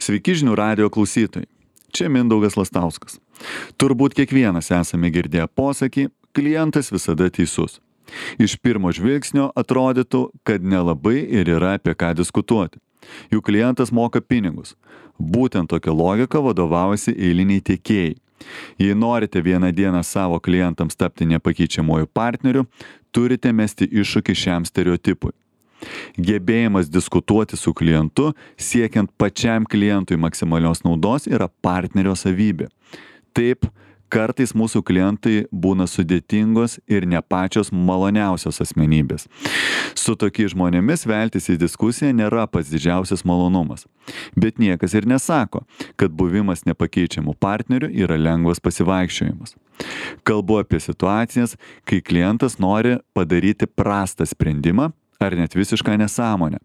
Sveiki žinių radijo klausytojai. Čia Mindaugas Lastauskas. Turbūt kiekvienas esame girdėję posakį, klientas visada teisus. Iš pirmo žvilgsnio atrodytų, kad nelabai ir yra apie ką diskutuoti. Juk klientas moka pinigus. Būtent tokia logika vadovaujasi eiliniai tiekėjai. Jei norite vieną dieną savo klientams tapti nepakeičiamuoju partneriu, turite mesti iššūkį šiam stereotipui. Gebėjimas diskutuoti su klientu, siekiant pačiam klientui maksimalios naudos, yra partnerio savybė. Taip, kartais mūsų klientai būna sudėtingos ir ne pačios maloniausios asmenybės. Su tokiais žmonėmis veltis į diskusiją nėra pats didžiausias malonumas. Bet niekas ir nesako, kad buvimas nepakeičiamų partnerių yra lengvas pasivaikščiojimas. Kalbu apie situacijas, kai klientas nori padaryti prastą sprendimą, ar net visišką nesąmonę.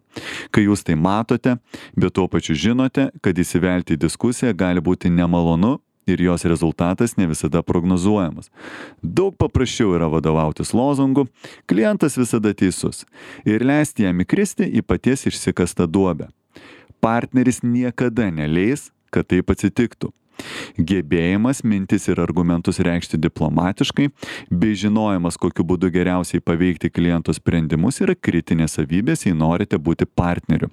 Kai jūs tai matote, bet tuo pačiu žinote, kad įsivelti į diskusiją gali būti nemalonu ir jos rezultatas ne visada prognozuojamas. Daug paprasčiau yra vadovautis lozungu, klientas visada teisus, ir leisti jam įkristi į paties išsikastą duobę. Partneris niekada neleis, kad taip atsitiktų. Gebėjimas mintis ir argumentus reikšti diplomatiškai, bei žinojimas, kokiu būdu geriausiai paveikti kliento sprendimus, yra kritinės savybės, jei norite būti partneriu.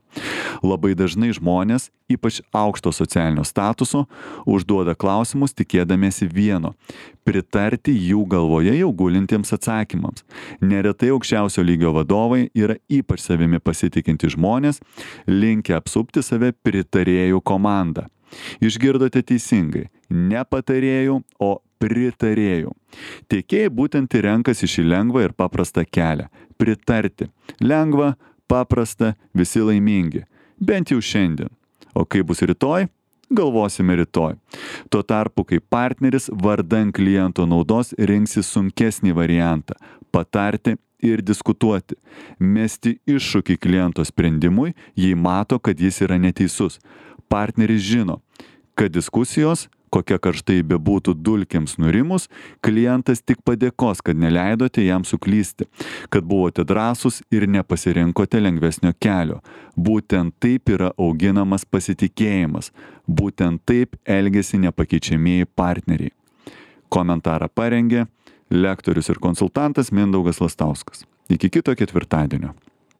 Labai dažnai žmonės, ypač aukšto socialinio statuso, užduoda klausimus tikėdamiesi vieno – pritarti jų galvoje jau gulintiems atsakymams. Neretai aukščiausio lygio vadovai yra ypač savimi pasitikinti žmonės, linkę apsupti save pritarėjų komandą. Išgirdote teisingai, ne patarėjų, o pritarėjų. Tiekėjai būtent ir renkasi šį lengvą ir paprastą kelią – pritarti. Lengva, paprasta, visi laimingi. Bent jau šiandien. O kaip bus rytoj? Galvosime rytoj. Tuo tarpu, kai partneris vardan kliento naudos rinksi sunkesnį variantą – patarti ir diskutuoti. Mesti iššūkį kliento sprendimui, jei mato, kad jis yra neteisus. Partneris žino, kad diskusijos, kokia karštai bebūtų dulkėms nurimus, klientas tik padėkos, kad neleidote jam suklysti, kad buvote drąsūs ir nepasirinkote lengvesnio kelio. Būtent taip yra auginamas pasitikėjimas. Būtent taip elgiasi nepakeičiamieji partneriai. Komentarą parengė lektorius ir konsultantas Mindaugas Lastauskas. Iki kito ketvirtadienio.